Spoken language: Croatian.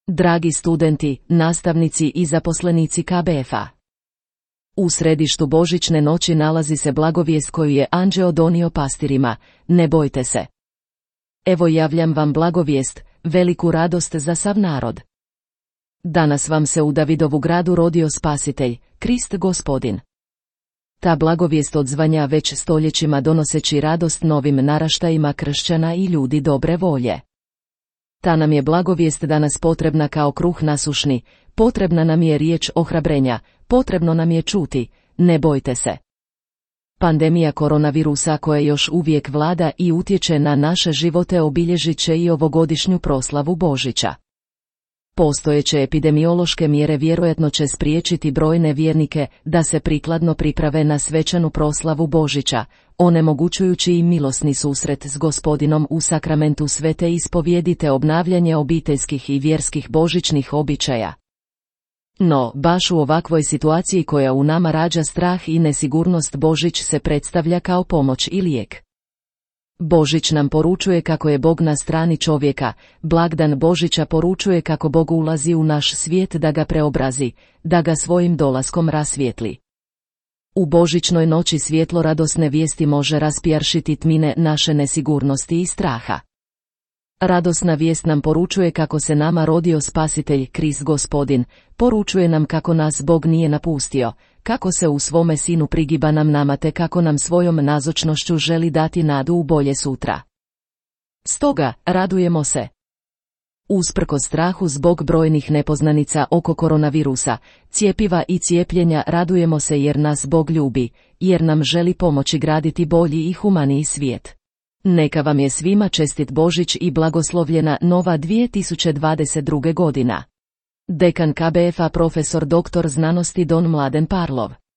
Dragi studenti, nastavnici i zaposlenici KBF-a. U središtu Božićne noći nalazi se blagovijest koju je anđeo donio pastirima, ne bojte se. Evo javljam vam blagovijest, veliku radost za sav narod. Danas vam se u Davidovu gradu rodio Spasitelj, Krist Gospodin. Ta blagovijest odzvanja već stoljećima donoseći radost novim naraštajima kršćana i ljudi dobre volje. Ta nam je blagovijest danas potrebna kao kruh nasušni, potrebna nam je riječ ohrabrenja, potrebno nam je čuti, ne bojte se. Pandemija koronavirusa koja još uvijek vlada i utječe na naše živote obilježit će i ovogodišnju proslavu Božića. Postojeće epidemiološke mjere vjerojatno će spriječiti brojne vjernike da se prikladno priprave na svečanu proslavu Božića, onemogućujući im milosni susret s Gospodinom u sakramentu svete ispovjedi te obnavljanje obiteljskih i vjerskih božićnih običaja. No, baš u ovakvoj situaciji koja u nama rađa strah i nesigurnost, Božić se predstavlja kao pomoć i lijek. Božić nam poručuje kako je Bog na strani čovjeka, blagdan Božića poručuje kako Bog ulazi u naš svijet da ga preobrazi, da ga svojim dolaskom rasvijetli. U božićnoj noći svjetlo radosne vijesti može raspjaršiti tmine naše nesigurnosti i straha. Radosna vijest nam poručuje kako se nama rodio Spasitelj, Krist Gospodin, poručuje nam kako nas Bog nije napustio, kako se u svome Sinu prigiba nama te kako nam svojom nazočnošću želi dati nadu u bolje sutra. Stoga, radujemo se. Usprkos strahu zbog brojnih nepoznanica oko koronavirusa, cjepiva i cijepljenja, radujemo se jer nas Bog ljubi, jer nam želi pomoći graditi bolji i humaniji svijet. Neka vam je svima čestit Božić i blagoslovljena nova 2022. godina. Dekan KBF-a profesor dr. znanosti Don Mladen Parlov.